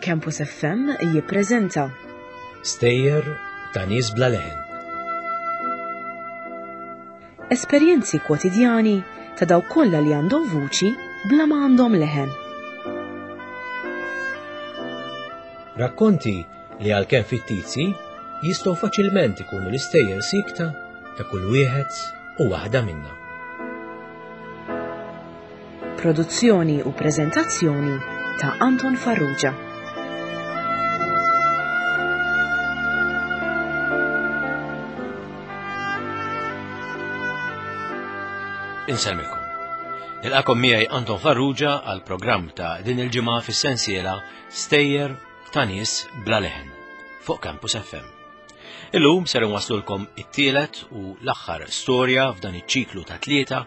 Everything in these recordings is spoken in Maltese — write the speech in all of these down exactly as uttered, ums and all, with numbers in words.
Campus F M jippreżenta Stejjer ta' nies bla leħen. Esperjenzi kwotidjani ta' dawk kollha li għandhom vuċi bla ma għandhom leħen. Rakkonti li għalkemm fittizji jistgħu faċilment ikunu l-istejjer sikta ta' kull wieħed u waħda minna. Produzzjoni u preżentazzjoni ta' Anton Farrugia. Insellmilkom. Nilqakom miegħi Anton Farrugia għal programm ta' din il-ġimgħa fis-sensiela Stejjer ta' nies bla leħen fuq Campus F M. Illum ser nwaslulkom it-tielet u l-aħħar storja f'dan iċ-ċiklu ta' tlieta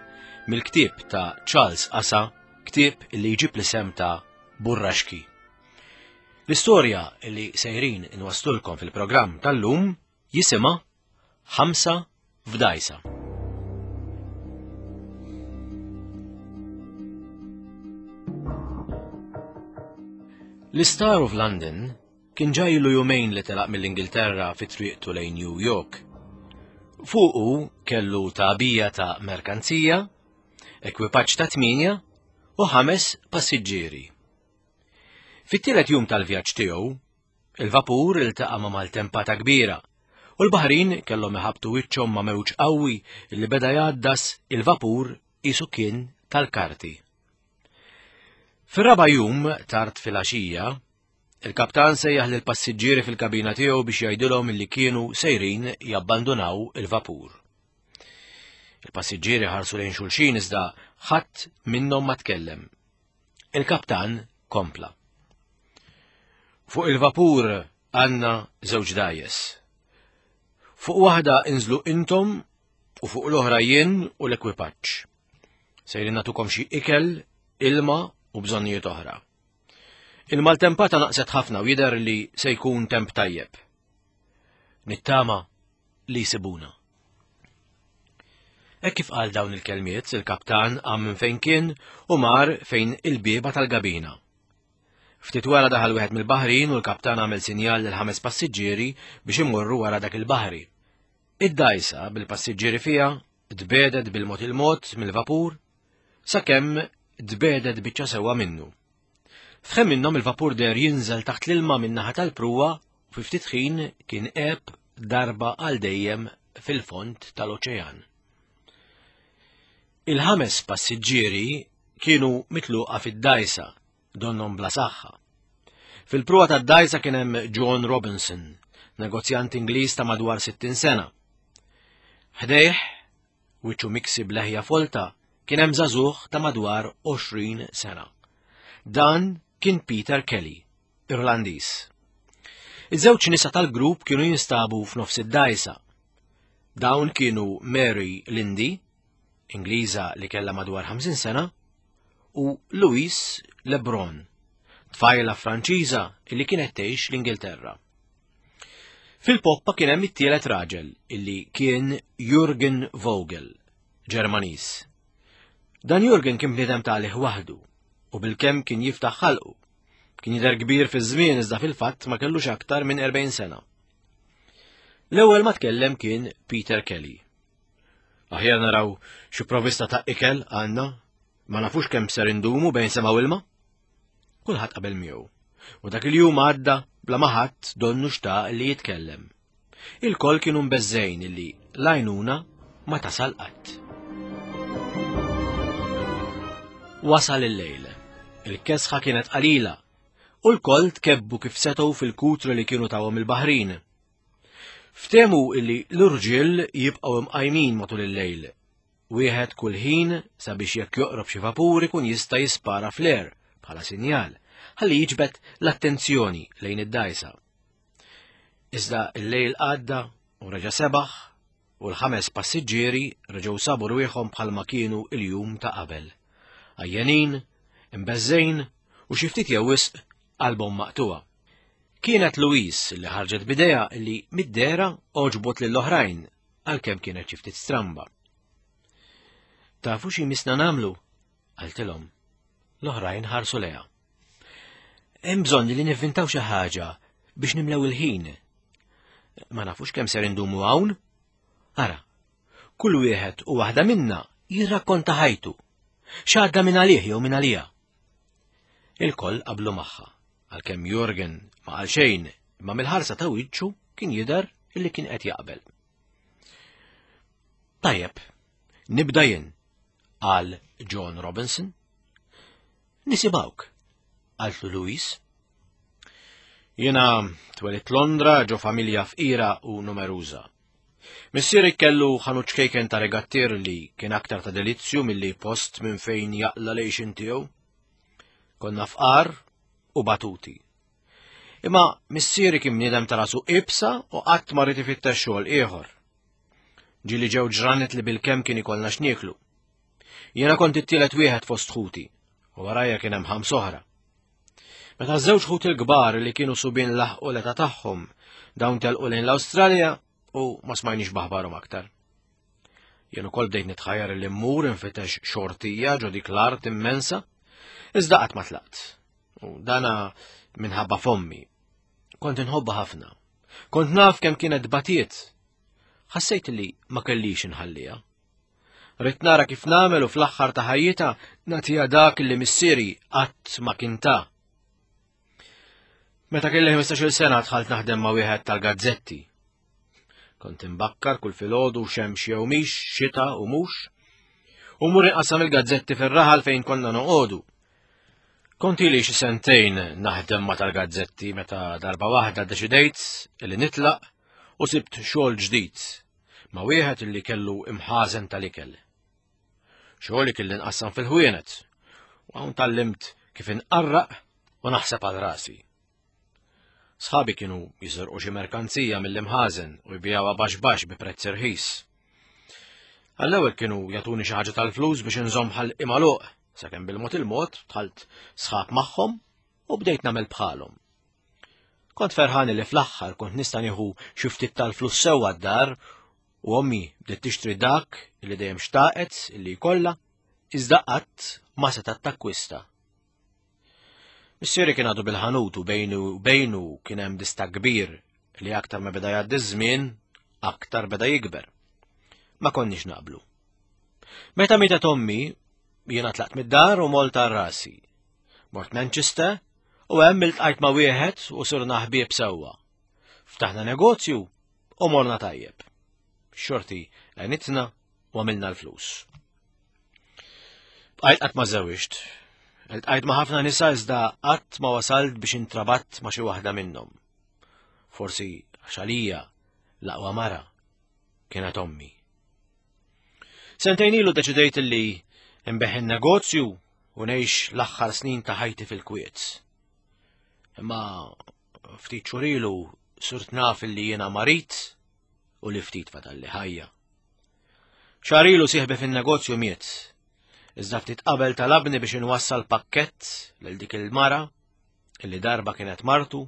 mill-ktieb ta' Charles Asa, ktieb li jġib l-isem ta' Burraxki. L-istorja li sejrin inwaslulkom fil-programm tal-lum jisimha Ħamsa f'Dajsa. L-Star of London kien ġa ilu jumejn li telaq mill-Ingilterra fi triqtu lejn New York. Fuqu kellu tagħbija ta' merkanzija, ekwipaġġ ta' tminja u ħames passiġġieri. Fit-tielet jum tal-vjaġġ tiegħu, il-vapur iltaqa' ma' maltempata kbira u l-baħrin kellhom iħabtu wiċċhom ma' mewġ qawwi li beda jgħaddas il-vapur qisu kien tal-karti. Fir-raba' jum tard filgħaxija, il-kaptan sejjaħ lil passiġġieri fil-kabina tiegħu biex jgħidilhom li kienu sejrin jabbandunaw il-vapur. Il-passiġġieri ħarsu lejn xulxin iżda ħadd minnhom ma tkellem. Il-kaptan kompla. Fuq il-vapur għandna żewġ dgħajjes. Fuq waħda inżlu intom u fuq l-oħra jien u l-ekwipaġġ. Sejrin nagħtukom xi ikel, ilma u bżonnijiet oħra. Il-maltempata naqset ħafna u jidher li se jkun temp tajjeb. Nittama li jsibuna. Hekk kif qal dawn il-kelmiet, il-kaptan qam minn fejn kien u mar fejn il-bieba tal-gabina. Ftit wara daħal wieħed mill-baħrin u l-kaptan għamel sinjal lil ħames passiġġieri biex imorru wara dak il-baħri. Id-dajsa bil-passiġġieri fiha tbedet bil-mod il-mod mill-vapur sakemm tbedet biċċa sewwa minnu. F'ħin minnhom il-vapur deher jinżel taħt l-ilma min-naħa tal-pruwa u fi ftit ħin kien għeb darba għal dejjem fil-fond tal-oċean. Il-ħames passiġġieri kienu mitluqa fid-dajsa, donnhom bla saħħa. Fil-pruwa tad-dajsa kien hemm John Robinson, negozjant Ingliż ta' madwar sittin sena. Ħdejh, wiċċu miksi b'leħja folta, kien hemm żagħżugħ ta' madwar għoxrin sena. Dan kien Peter Kelly, Irlandiż. Iż-żewġ nisa tal-grupp kienu jinstabu f'nofs id-dajsa. Dawn kienu Mary Lindy, Ingliża li kellha madwar ħamsin sena, u Louise Lebron, tfajla Franċiża li kienet tgħix l-Ingilterra. Fil-poppa kien hemm it-tielet raġel illi kien Jürgen Vogel, Ġermaniż. Dan Jürgen kien bniedem talih waħdu u bilkemm kien jiftaħ ħalqu. Kien jidher kbir fiż-żmien iżda fil-fatt ma kellux aktar minn erbgħin sena. L-ewwel ma tkellem kien Peter Kelly. Aħjar naraw xi provvista ta' ikel għandna, ma nafux kemm ser indumu bejn sema u ilma. Kulħadd qabel miegħu. U dak il-jum għadda bla ma ħadd donnu xtaq li jitkellem. Il-koll kienu mbeżżejn illi l-għajnuna ma tasal qatt. Wasal il-lejl. Il-kesħa kienet qalila u l-koll tkebbu kif setgħu fil-kutru li kienu tawhom il-baħrin. Ftehmu illi l-irġiel jibqgħu imqajmin matul il-lejl. Wieħed kull ħin sabiex jekk joqrob xi vapur ikun jista' jispara fl-air bħala sinjal ħalli jiġbed l-attenzjoni lejn id-dajsa. Iżda il-lejl għadda u reġa' sebaħ u l-ħames passiġġieri reġgħu sabu rwieħhom bħalma kienu il-jum ta' qabel. Għajjenin, imbeżżejn u xi ftit jew wisq qalbhom maqtuha. Kienet Louise li ħarġet bidejha li mid-dehra għoġbot lill-oħrajn għalkemm kienet xi ftit stramba. Tafu xi misna nagħmlu? Qaltilhom. L-oħrajn ħarsu lejha. Hemm bżonn li nivvintaw xi ħaġa biex nimlew il-ħin. Ma nafux kemm ser indumu hawn. Ara, kull wieħed u waħda minna jirrakkonta ħajtu. X'għadda minn għalih jew minn għalija. Il-koll qablu magħha, għalkemm Jorgen ma qal xejn, imma mill-ħarsa ta' wiċċu kien jidher illi kien qed jaqbel. Tajjeb, nibda jien, qal John Robinson. Nisimgħuk, qaltlu Louise. Jiena twelidt Londra ġo familja fqira u numeruża. Missieri kellu ħanut ċkejken ta' regattier li kien aktar ta' delizzju milli post minn fejn jaqla l-għixien tiegħu. Konna fqar u batuti. Imma missieri kien bniedem ta' rasu ibsa u qatt ma ried ifittex xogħol ieħor. Ġieli ġew ġranet li bilkemm kien ikollna x'nieklu. Jiena kont it-tielet wieħed fost ħuti u warajja kien hemm ħams oħra. Meta żewġ ħuti l-kbar li kienu subien laħqu l-età tagħhom dawn telqu lejn l-Awstralja u ma smajniex b'aħbarhom aktar. Jien ukoll bdejt nitħajjar li mmur infittex xortija ġo dik l-art immensa, iżda qatt ma tlaqt. U dana minħabba f'ommi. Kont inħobbha ħafna. Kont naf kemm kienet batiet. Ħassejt li ma kellix inħalliha. Ridt nara kif nagħmel u fl-aħħar ta' ħajjitha nagħtiha dak li missieri qatt ma kien ta. Meta kelli ħmistax-il sena dħalt naħdem ma' wieħed tal-gazzetti. Kont imbakkar kull filgħodu xemx jew mhix, xita u mhux, u mmur inqassam il-gazzetti fir-raħal fejn konna noqogħdu. Kont ili xi sentejn naħdem ma' tal-gazzetti meta darba waħda ddeċidejt li nitlaq u sibt xogħol ġdid ma' wieħed li kellu imħażen tal-ikel. Xogħli kelli nqassam fil-ħwienet u hawn tgħallimt kif inqarraq u naħseb għal rasi. Sħabi kienu jisirqu xi merkanzija mill-imħażen u jbijawha baxx baxx bi prezz irħis. Għall-ewwel kienu jagħtuni xi ħaġa tal-flus biex inżomm ħalqi magħluq, sakemm bil-mod il-mod dħalt sħab magħhom u bdejt nagħmel bħalhom. Kont ferħan li fl-aħħar kont nista' nieħu xi ftit tal-flus sewwa d-dar u ommi bdiet tixtri dak li dejjem xtaqet li jkollha, iżda qatt ma setgħet takkwista. Missieri kien għadu bil-ħanut u bejnu u bejnu kien hemm distakk kbir li aktar ma beda jgħaddi żmien, aktar beda jikber. Ma konniex naqblu. Meta mietet ommi, jiena tlaqt mid-dar u molt għal rasi. Mort Manchester u hemm iltqajt ma' wieħed u sirna ħbieb sewwa. Ftaħna negozju u morna tajjeb. Xorti għenitna u għamilna l-flus. Bqajt qatt ma żewġt. Iltqajt ma' ħafna nisa iżda qatt ma wasalt biex intrabatt ma' xi waħda minnhom. Forsi għax għalija l-aqwa mara kienet ommi. Sentejn ilu deċidejt li nbigħ in-negozju u ngħix l-aħħar snin ta' ħajti fil-kwiet. Imma ftit xhur ilu sirt naf li jiena marid u li ftit fadalli ħajja. Xahar ilu sieħbi fin-negozju miet. Iżda ftit qabel talabni biex inwassal pakkett lil dik il-mara illi darba kienet martu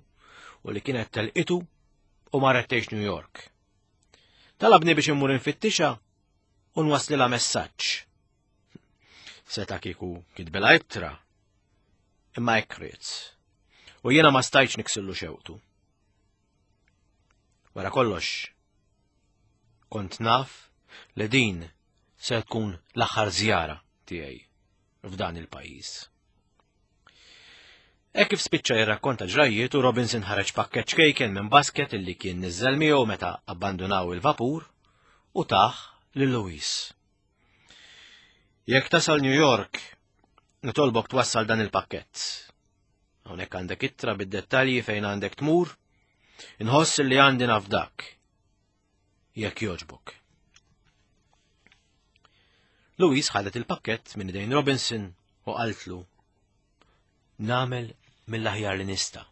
u li kienet telqitu u marret tgħix New York. Talabni biex immur infittixha u nwasslilha messaġġ. Seta' kieku kitbilha ittra, imma hekk ried. U jiena ma stajtx niksillu xewqtu. Wara kollox, kont naf li din se tkun l-aħħar żjara tiegħi f'dan il-pajjiż. Hekk kif spiċċa jirrakkonta ġrajjietu, Robinson ħareġ pakkett ċkejken minn basket illi kien niżżel miegħu meta abbandunaw il-vapur u tah lil Louise. Jekk tasal New York, nitolbok twassal dan il-pakkett. Hawnhekk għandek ittra bid-dettalji fejn għandek tmur, inħoss li għandi nafdak. Jekk jogħġbok. Louise ħadet il-pakkett minn idejn Robinson u qaltlu, nagħmel mill-aħjar li nista'.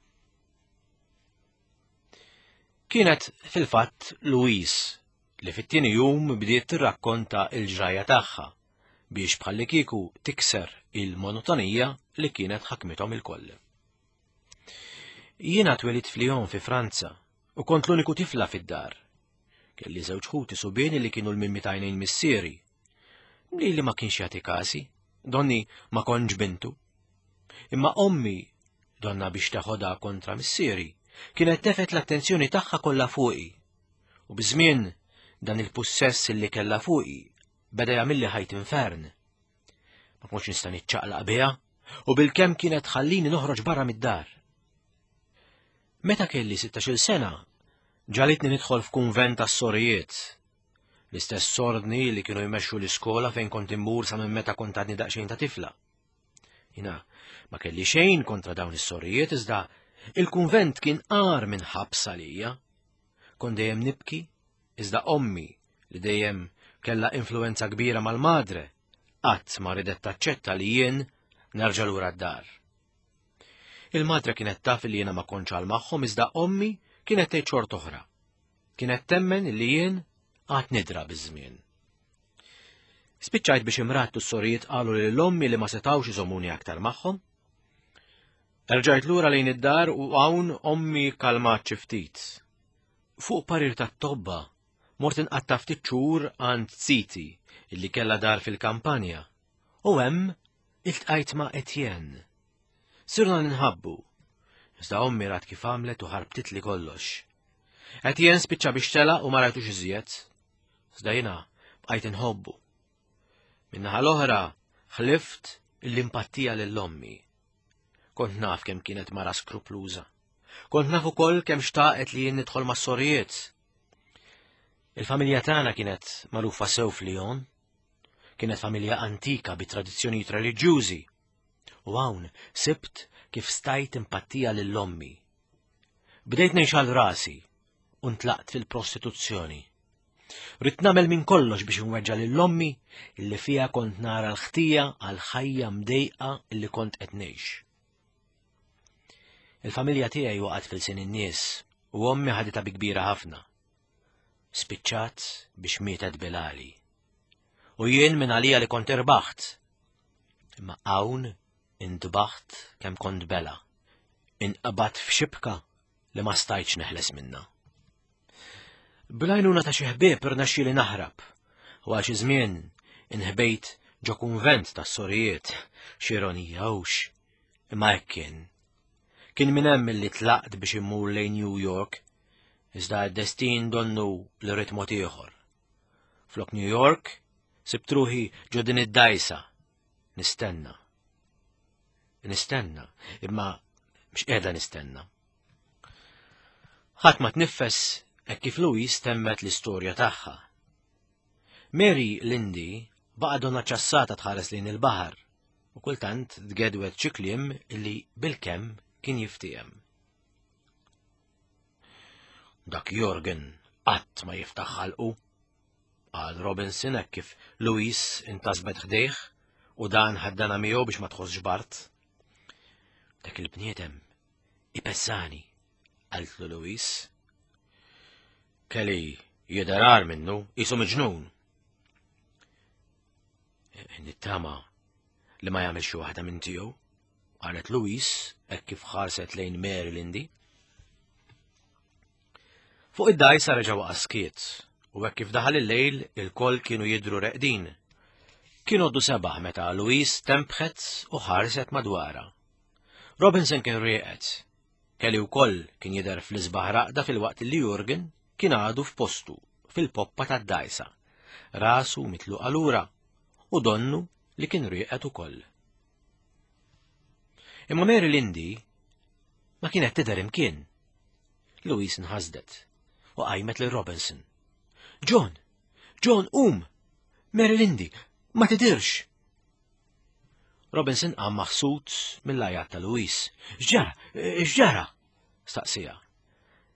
Kienet fil-fatt Louise li fit-tieni jum bdiet tirrakkonta il-ġrajja tagħha biex bħallikieku tikser il-monotonija li kienet ħakmithom il-koll. Jiena twelidt f'Lyon fi Franza u kont l-uniku tifla fid-dar. Kelli żewġ ħuti subieni li kienu l-mimmi t'għajnejn missieri. Li li ma kienx jagħti kasi, donni ma kontx bintu. Imma ommi donna biex teħodha kontra missieri, kienet tefet l-attenzjoni tagħha kollha fuqi. U biż-żmien dan il-pussess li kellha fuqi beda jagħmilli ħajt infern. Ma kontx nista' niċċaqlaq biha u bilkemm kienet tħallini noħroġ barra mid-dar. Meta kelli sittax-il sena, ġalitni nidħol f'kunvent tas-sorijiet. L-istess ordni li kienu jmexxu l-iskola fejn kont immur sa minn meta kont għadni daqsxejn ta' tifla. Jina, ma kelli xejn kontra dawn is-sorijiet iżda il-kunvent kien qar minn ħabs għalija. Kont dejjem nibki, iżda ommi li dejjem kellha influenza kbira mal-madre, qatt ma ridet taċċetta li jien nerġa' lura d-dar. Il-madre kienet taf li jiena ma kontx għal magħhom iżda ommi kienet tgħid xort oħra. Kienet temmen li jien għad nidra biż-żmien. Spiċċajt biex imrattu s-sorijiet qalu lil ommi li ma setgħux iżomuni aktar magħhom. Erġajt lura lejn id-dar u hawn ommi kalmat xi ftit. Fuq parir tat-tobba mort inqatta' ftit xhur għand ziti illi kellha dar fil-kampanja u hemm iltqajt ma' Etienne. Sirna ninħabbu. Iżda ommi rat kif għamlet u ħarbtitli kollox. Etienne spiċċa biex telaq u ma rajtux iżjed. Iżda jiena bqajt inħobbu. Min-naħa l-oħra ħlift l-impatija lil ommi. Kont naf kemm kienet mara skrupluża. Kont naf ukoll kemm xtaqet li jien nidħol mas-sorijiet. Il-familja tagħna kienet magħrufa sew f'Lyon. Kienet familja antika bi tradizzjonijiet reliġjużi. U hawn sibt kif stajt impattija lil ommi. Bdejt ngħix għal rasi u ntlaqt fil-prostituzzjoni. Ridt nagħmel minn kollox biex nweġġa' lil ommi illi fiha kont nara l-ħtija għal ħajja mdejqa illi kont qed ngħix. Il-familja tiegħi waqgħet fil-sin in-nies u ommi ħaditha bi kbira ħafna. Spiċċat biex mietet bilali. U jien minn għalija li kont irbaħt. Imma hawn intbaħt kemm kont bela. Inqbadt f'xibka li ma stajtx neħles minna. Bl-għajnuna ta' xi ħbieb irnexxieli naħrab u għal xi żmien inħbejt ġo kunvent tas-sorijiet, x'ironija hux, imma hekk kien. Kien minn hemm li tlaqt biex immur lejn New York, iżda d-destin donnu li ried mod ieħor. Flok New York, sibt ruħi ġo din id-dajsa, nistenna. Nistenna, imma mhux qiegħda nistenna. Ħadd ma tniffes hekk kif Louise temmet l-istorja tagħha. Mary Lindy baqa' donna ċassata tħares lejn il-baħar u kultant tgedwet xi kliem illi bilkemm kien jiftiehem. Dak Jorgen qatt ma jiftaħ ħalqu, qal Robinson hekk kif Louise intasbet ħdejh u dan ħaddana miegħu biex ma tħossx bart. Dak il-bniedem ipezzani, qaltlu Louise. Kelly jidher agħar minnu, qisu miġnun. Nittama li ma jagħmel xi waħda minn tiegħu, qalet Louise hekk kif ħarset lejn Mary Lindy. Fuq id-dajsa reġa' waqa' skiet u hekk kif daħal il-lejl il-koll kienu jidhru reqdin. Kien għoddu sebaħ meta Louise tembħet u ħarset madwarha. Robinson kien rieqed. Kelly wkoll kien jidher fl-isbaħ raqda filwaqt li Jurgen kien għadu f'postu fil-poppa tad-dajsa, rasu mitluqa lura u donnu li kien rieqed ukoll. Imma Mary Lindy ma kienet tidher imkien. Louise nħasdet u qajmet lil Robinson. John, John, um! Mary Lindy, ma tidirx! Robinson qam maħsud mill-għajat ta' Louise. X'ġara? X'ġara? Staqsija.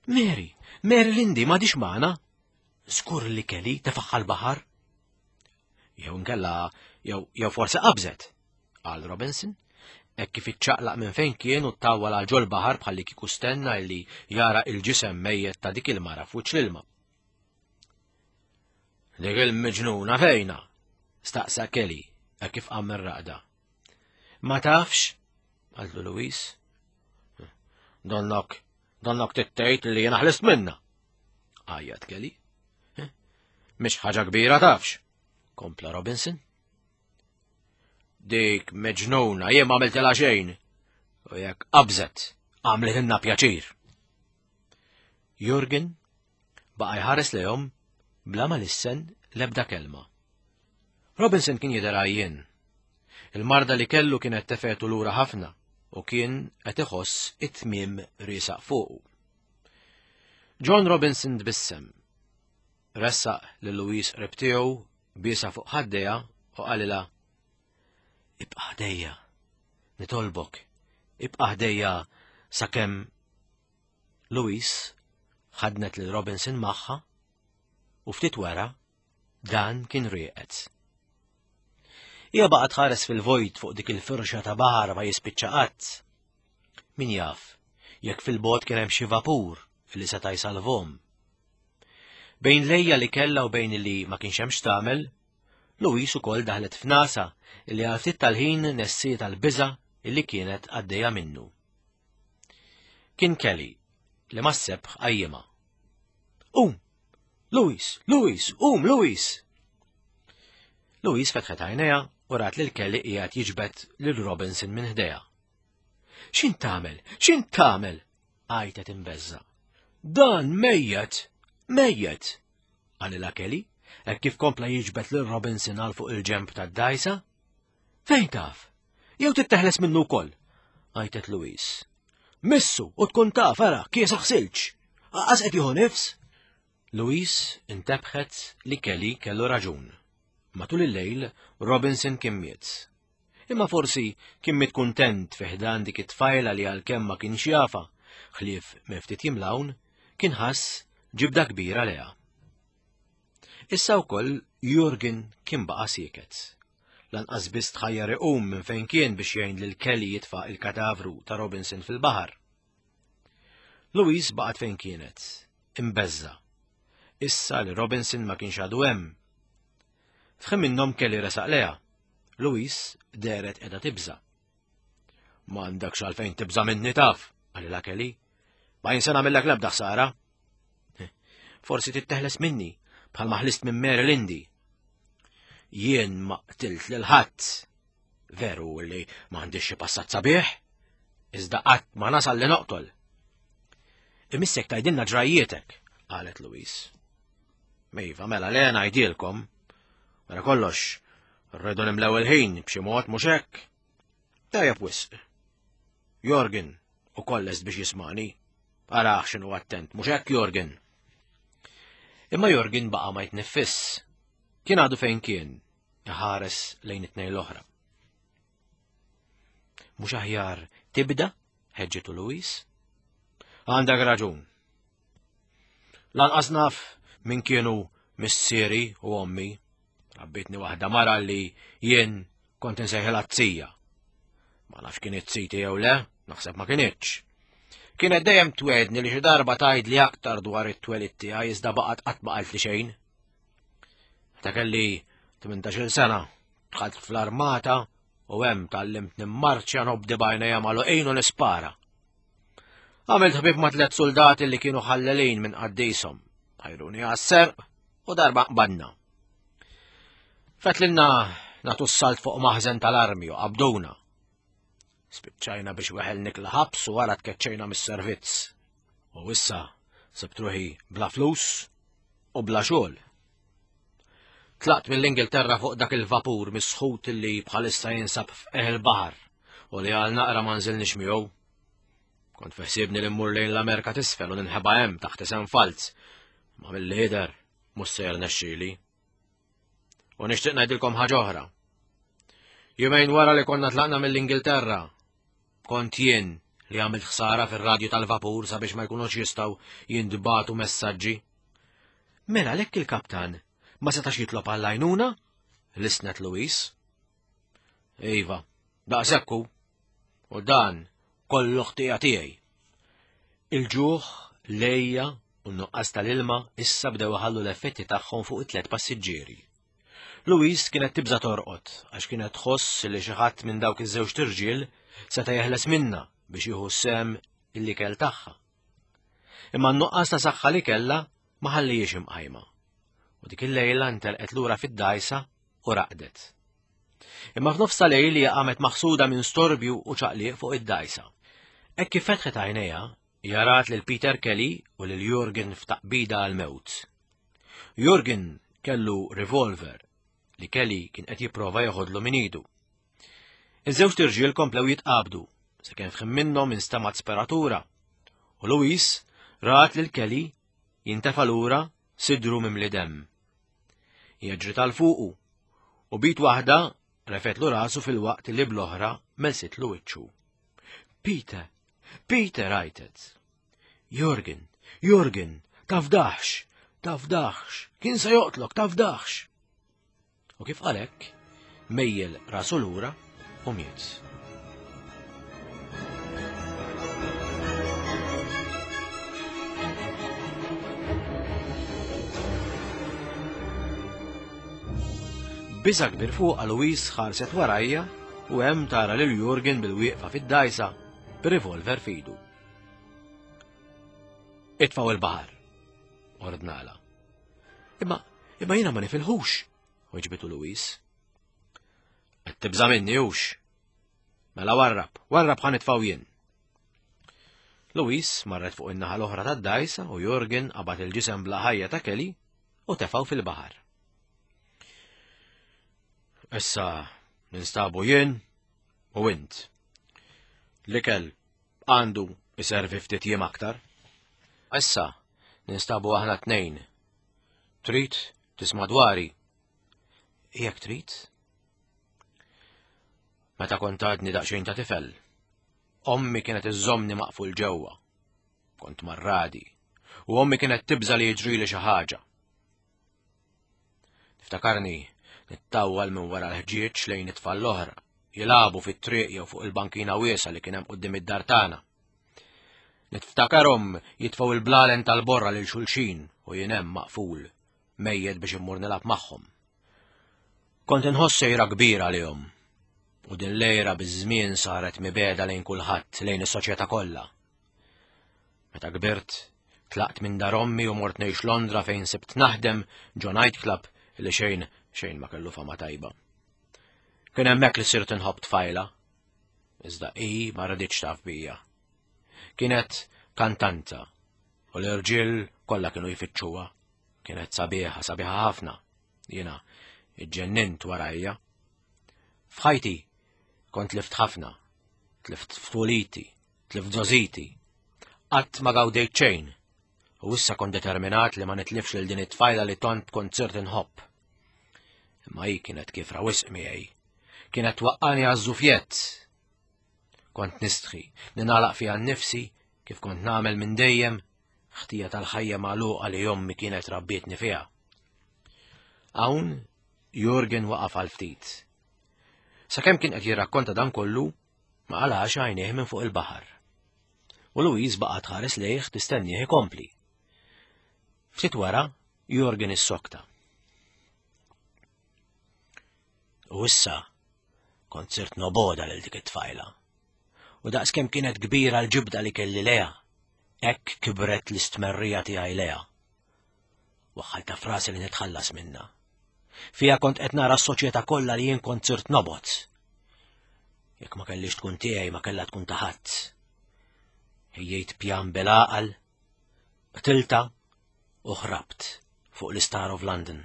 Mary, Mary Lindy, m'għadhiex magħna. Skur li Kelly tefagħha l-baħar. Jew nkella, jew jew forsi qabżet, qal Robinson, hekk kif iċċaqlaq minn fejn kien u ttawwal għal ġol baħar bħalli kieku stenna li jara il-ġisem mejjet ta' dik il-mara f'wiċċ l-ilma. Dik il-miġnuna fejna? Staqsa Kelly hekk kif qam mir-raqda. Ma tafx? Qaltlu Louise. Donnok, donnok tittejt li jiena ħlist minna. Għajjat Kelly. Mhix ħaġa kbira tafx, kompla Robinson. Dik meġnuna, jien ma għamiltilha xejn. U jekk qabżet, għamlitilna pjaċir. Jurgen baqa' jħares lejhom bla ma lissen l-ebda kelma. Robinson kien jidher għajjien. Il-marda li kellu kienet tefgħetu lura ħafna u kien qed iħoss it-tmiem riesaq fuqu. John Robinson tbissem. Ressaq lil Louise qrib tiegħu, biesha fuq ħaddejha u qalilha: "Ibqa' ħdejja, nitolbok, ibqa' ħdejja sakemm." Louise ħadnet lil Robinson magħha u ftit wara dan kien rieqed. Hija baqgħet tħares fil-vojt fuq dik il-firxa ta' baħar ma jispiċċa qatt. Min jaf, jekk fil-bogħod kien hemm xi vapur li seta' jsalvhom. Bejn l-għeja li kellha u bejn li ma kienx hemm x'tagħmel, Louise ukoll daħlet f'nagħsa li għal ftit tal-ħin nessiet għall-biża' illi kienet għaddejja minnu. Kien Kelly li mas-sebħ qajjimha. "Um! Louise! Louise! Um, Louise!" Louise fetħet għajnejha u rat lil Kelly qiegħed jiġbed lil Robinson minn ħdejha. "X'int tagħmel? X'int tagħmel?" għajtet imbeżża'. "Dan mejjet! Mejjet!" qalilha Kelly, hekk kif kompla jiġbed lil Robinson għal fuq il-ġenb tad-dgħajsa. "Fejn taf? Jew titteħles minnu wkoll?" għajtet Louise. "Missu u tkun taf, ara, kiesaħ silġ. Qas qed jieħu nifs." Louise intebħet li Kelly kellu raġun. Matul il-lejl, Robinson kien miet. Imma forsi kien miet kuntent fi ħdan dik it-tfajla li għalkemm ma kienx jafha, ħlief minn ftit jiem 'l hawn, kien ħass ġibda kbira lejha. Issa wkoll Jurgen kien baqa' sieket. Lanqas biss tħajjar iqum minn fejn kien biex jgħin lil Kelly jitfa' il-katavru ta' Robinson fil-baħar. Louise baqgħet fejn kienet, imbeżża'. Issa li Robinson ma kienx għadu hemm. F'ħin minnhom Kelly resaq lejha. Louise dehret qiegħda tibża'. "M'għandekx għalfejn tibża' minni taf," qalilha Kelly. "Ma jien se nagħmillek l-ebda ħsara." "Forsi titteħles minni bħalma ħlist minn Mary Lindy. Jien ma qtilt lil ħadd. Veru li m'għandix xi passat sabiħ, iżda qatt ma nasal li noqtol." "Imissek tgħidilna ġrajjietek," qalet Louise. "Iva, mela le ngħidilkom. Wara kollox, rridu nimlew il-ħin b'xi mod mhux hekk. Tajjeb wisq. Jorgen ukoll lest biex jismani. Araħ x'inhu attent, mhux hekk Jorgen?" Imma Jorgen baqa' ma jitniffiss. Kien għadu fejn kien, iħares lejn it-tnejn l-oħra. "Mhux aħjar tibda?" ħeġġitu Louise. "Għandek raġun. Lanqas naf min kienu missieri u ommi. Rabbitni waħda mara li jien kont insejħilha z-zija. Ma nafx kienet ziti jew le, naħseb ma kinitx. Kienet dejjem twegħedni li xi darba tgħidli aktar dwar it-twelid tiegħi iżda baqgħet qatt ma qaltli xejn. Meta kelli tmintax-il sena, dħalt fl-armata u hemm tgħallimt nimmarċja nobdi b'għajnejja magħluqin u nispara. Għamilt ħbieb ma' tliet soldati li kienu ħallelin minn qaddishom. Ħajruni għas-serq u darba qbadna. Fetlilna nagħtu s-salt fuq maħżen tal-armi u qabduna. Spiċċajna biex weħel nikla ħabs u wara tkeċċejna mis-servizz. U issa sibt ruħi bla flus u bla xogħol. Tlaqt mill-Ingilterra fuq dak il-vapur misħut li bħalissa jinsab f'qiegħ il-baħar u li għal naqra ma nżilniex miegħu. Kont feħsibni li mmur lejn l-Amerika t'isfel u ninħeba hemm taħt isem falz, ma mill-lider mhux se jirnexxieli. U nixtieq ngħidilkom ħaġa oħra. Jumejn wara li konna tlaqna mill-Ingilterra, kont jien li għamilt ħsara fir-radju tal-vapur sabiex ma jkunux jistgħu jintbagħtu messaġġi. Mela għalhekk il-kaptan ma setax jitlob għall-għajnuna? Lissnet Louise. Iva, daqshekk hu. U dan kollu ħtija tiegħi. Il-ġuħ, l-għeja u n-nuqqas tal-ilma issa bdew iħallu l-effetti tagħhom fuq it-tliet passiġġieri. Louise kienet tibża torqod għax kienet tħoss li xi ħadd minn dawk iż-żewġ irġiel seta' jeħles minnha biex jieħu sehem l-ikel tagħha. Imma n-nuqqas ta' saħħa li kellha ma ħallihiex imqajma. U dik il-lejla ntelqet lura fid-dgħajsa u raqdet. Imma f'nofs ta' lejl hija qamet maħsuda minn storbju u ċaqliq fuq id-dgħajsa. Hekk kif fetħet għajnejha, hija rat lil Peter Kelly u lil Jurgen f'taqbida għal-mewt. Jurgen kellu revolver li Kelly kien qed jipprova joħodlu minn idu. Iż-żewġ irġiel komplew jitqabdu sakemm f'ħin minnhom instamat speratura u Louise rat lil Kelly jintefa' lura sidru mimli demm. Hija ġriet għal fuqu u b'id waħda refetlu rasu fil-waqt li bl-oħra melsitlu wiċċu. Peter, Peter għajtet. Jurgen, Jurgen, tafdax, tafdax, kien se joqtlok, tafdax. U kif qalek, mejjel rasu lura u miet. Biża' kbir fuqha Louise ħarset warajja u hemm tara lil Jurgen bil-wieqfa fid-dajsa b'revolver f'idu. Itfgħu il-baħar, ordnala. Imma, imma jiena ma nifilħux, weġbitu Louise. Qed tibża' minni hux. Mela warrab, warrab ħa nitfgħu jien. Louise marret fuq in-naħa l-oħra tad-dajsa u Jurgen qabad il-ġisem bla ħajja ta' Kelly u tefgħu fil-baħar. Issa ninstabu jien u int. L-ikel għandu iservi ftit jiem aktar. Issa ninstabu aħna tnejn. Trid tisma' dwari? Jekk trid. Meta kont għadni daqsxejn ta' tifel, ommi kienet iżżommni maqful ġewwa. Kont marradi u ommi kienet tibża' li jiġrili xi ħaġa. Niftakarni nittawwal minn wara l-ħġieġ lejn it-tfal l-oħra, jilagħbu fit-triq jew fuq il-bankina wiesgħa li kien hemm quddiem id-dar tagħna. Niftakarhom jitfgħu il-blalen tal-borra lil xulxin u jien hemm maqful, mejjed biex immur nilgħab magħhom. Kont inħoss sejra kbira għalihom, u din l-għira biż-żmien saret mibegħda lejn kulħadd, lejn is-soċjetà kollha. Meta kbirt, tlaqt minn dar ommi u mort ngħix Londra fejn sibt naħdem ġo nightclub li xejn xejn ma kellu fama tajba. Kien hemmhekk li sirt inħobb tfajla, iżda hi ma raditx taf bija. Kienet kantanta u l-irġiel kollha kienu jfittxuha. Kienet sabiħa, sabiħa ħafna. Jiena iġġennint warajja. F'ħajti kont tlift ħafna, tlift ftuliti, tlift żgħożiti. Qatt ma gawdejt xejn u issa kont determinat li ma nitlifx lil din it-tfajla li tant kont sirt inħobb. Imma hi kienet kiefra wisq miegħi. Kienet twaqqani għaż-żufjett. Kont nistħi, ninalaq fiha nnifsi kif kont nagħmel minn dejjem, ħtija tal-ħajja magħluqa li ommi kienet rabbietni fiha. Hawn Jurgen waqaf għal ftit. Sakemm kien qed jirrakkonta dan kollu, ma qalax għajnejh minn fuq il-baħar. U Louise baqgħet tħares lejh tistennieh ikompli. Ftit wara, Jurgen issokta. U issa kont sirt noboda lil dik it-tfajla. U daqskemm kienet kbira l-ġibda li kelli leha, hekk kibret l-istmerrija tiegħi leha. Waħħalta frasi li nitħallas minna. Fija kont qed nara s-soċjetà kollha li jien kont sirt nobgħod. Jekk ma kellix tkun tiegħi ma kellha tkun ta' ħadd. Ħejjejt pjan bil-għaqal, qtilta u ħrabt fuq l-Star of London.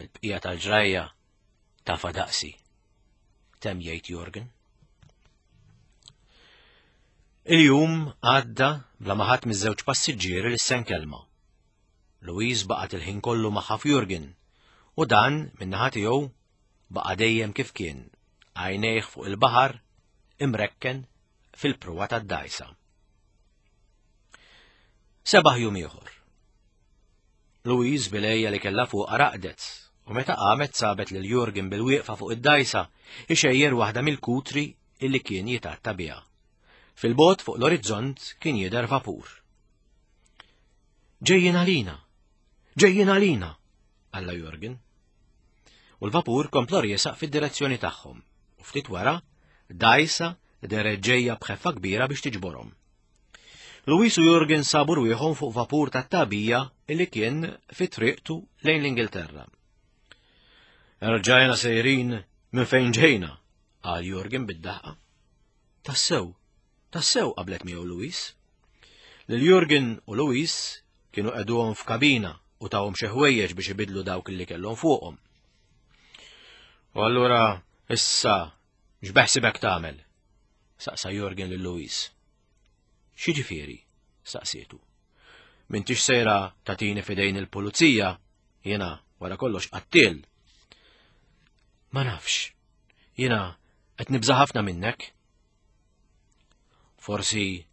Il-bqija tal-ġrajja tafa daqsi. Temm jgħid Jurgen. Il-jum għadda bla ma ħadd miż-żewġ passiġġieri lissen kelma. Louise baqgħet il-ħin kollu magħha f'Jurgen u dan min-naħa tiegħu baqa' dejjem kif kien, għajnejh fuq il-baħar imrekken fil-pruwa tad-dajsa. Sebaħ jum ieħor. Louise bil-għeja li kellha fuqha raqdet u meta qamet sabet lil Jurgen bil-wieqfa fuq id-dajsa ixejjer waħda mill-kutri illi kien jitatta biha. Fil-bot fuq l-orizzont kien jidher vapur. Ġejjin għalina! Ġejjin għalina! Alla Jurgen. U l-vapur kompla riesaq fid-direzzjoni tagħhom u ftit wara dajsa deret ġejja b'ħeffa kbira biex tiġborhom. Louise u Jurgen sabu rwieħhom fuq vapur tat-tagħbija illi kien fi triqtu lejn l-Ingilterra. Erġajna sejrin minn fejn ġejna, qal Jurgen bid-daħqa. Tassew, Tassew qablet miegħu Louise. Lil Jurgen u Louise kienu qegħduhom f'kabina u tawhom xi ħwejjeġ biex ibidlu dawk li kellhom fuqhom. U allura issa x'beħsibek tagħmel? Saqsa Jurgen lil Louise. X'jiġifieri? Saqsietu. M'intix sejra tagħtini f'idejn il-pulizija, jiena wara kollox qattiel. Ma nafx, jiena qed nibża' ħafna minnek. Forsi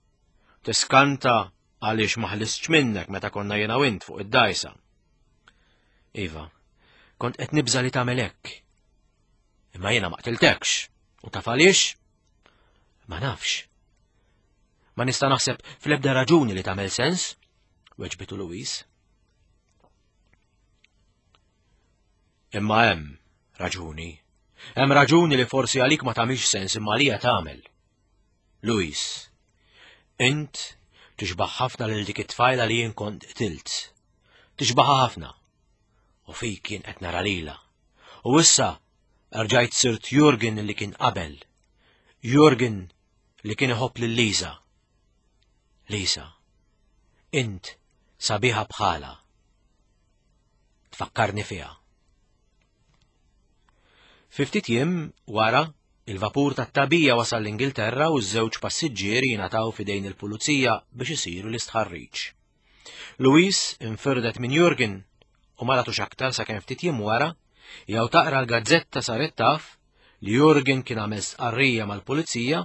tiskanta għaliex ma ħlistx minnek meta konna jiena u int fuq id-dajsa. Iva, kont qed nibża' li tagħmel hekk. Imma jiena ma qtiltekx, u taf għaliex? Ma nafx. Ma nista' naħseb fl-ebda raġuni li tagħmel sens, weġbitu Louise. Imma hemm raġuni. Hemm raġuni li forsi għalik ma tagħmilx sens imma għalija tagħmel. Louise, int tixbaħ ħafna lil dik it-tfajla li jien kont qtilt. Tixbaħha ħafna. U fik jien qed nara lilha. U issa rġajt sirt Jurgen li kien qabel. Jurgen li kien iħobb lil Lisa. Lisa, int sabiħa bħala. Tfakkarni fiha. Fi ftit jiem wara, il-vapur tat-tagħbija wasal l-Ingilterra u ż-żewġ passiġġieri jingħataw f'idejn il-pulizija biex isiru l-istħarriġ. Louise infirdet minn Jurgen u ma ratux aktar sakemm ftit jiem wara jew taqra l-gazzetta saret taf li Jurgen kien għamel stqarrija mal-pulizija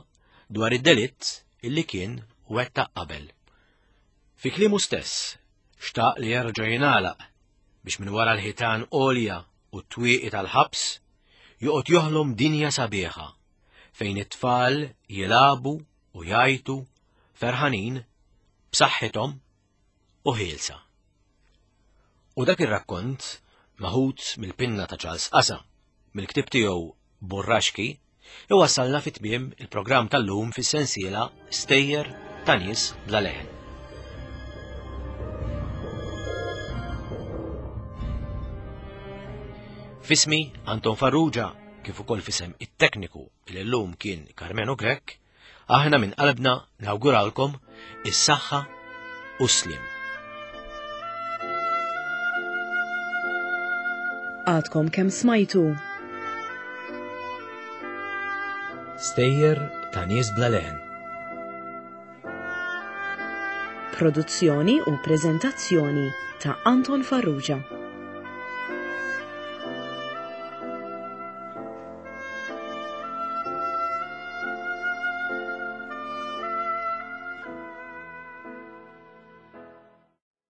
dwar id-delitt illi kien wettaq qabel. Fi kliemu stess, xtaq li jerġa' jingħalaq biex minn wara l-ħitan għolja u t-twieqi tal-ħabs joqgħod joħlom dinja sabiħa fejn it-tfal jilagħbu u jgħajtu ferħanin b'saħħithom u ħielsa. U dak ir-rakkont maħud mill-pinna ta' Charles Qasa mill-ktieb tiegħu Burraxki iwassalna fi tmiem il-programm tal-lum fis-sensiela Stejjer ta' nies bla leħen. Fismi Anton Farrugia, kif ukoll fisem it-tekniku li llum kien Carmeno Grech, aħna minn qalbna nawguralkom is-saħħa u s-sliem. Għadkom kemm smajtu Stejjer ta' nies bla leħen. Produzzjoni u preżentazzjoni ta' Anton Farrugia.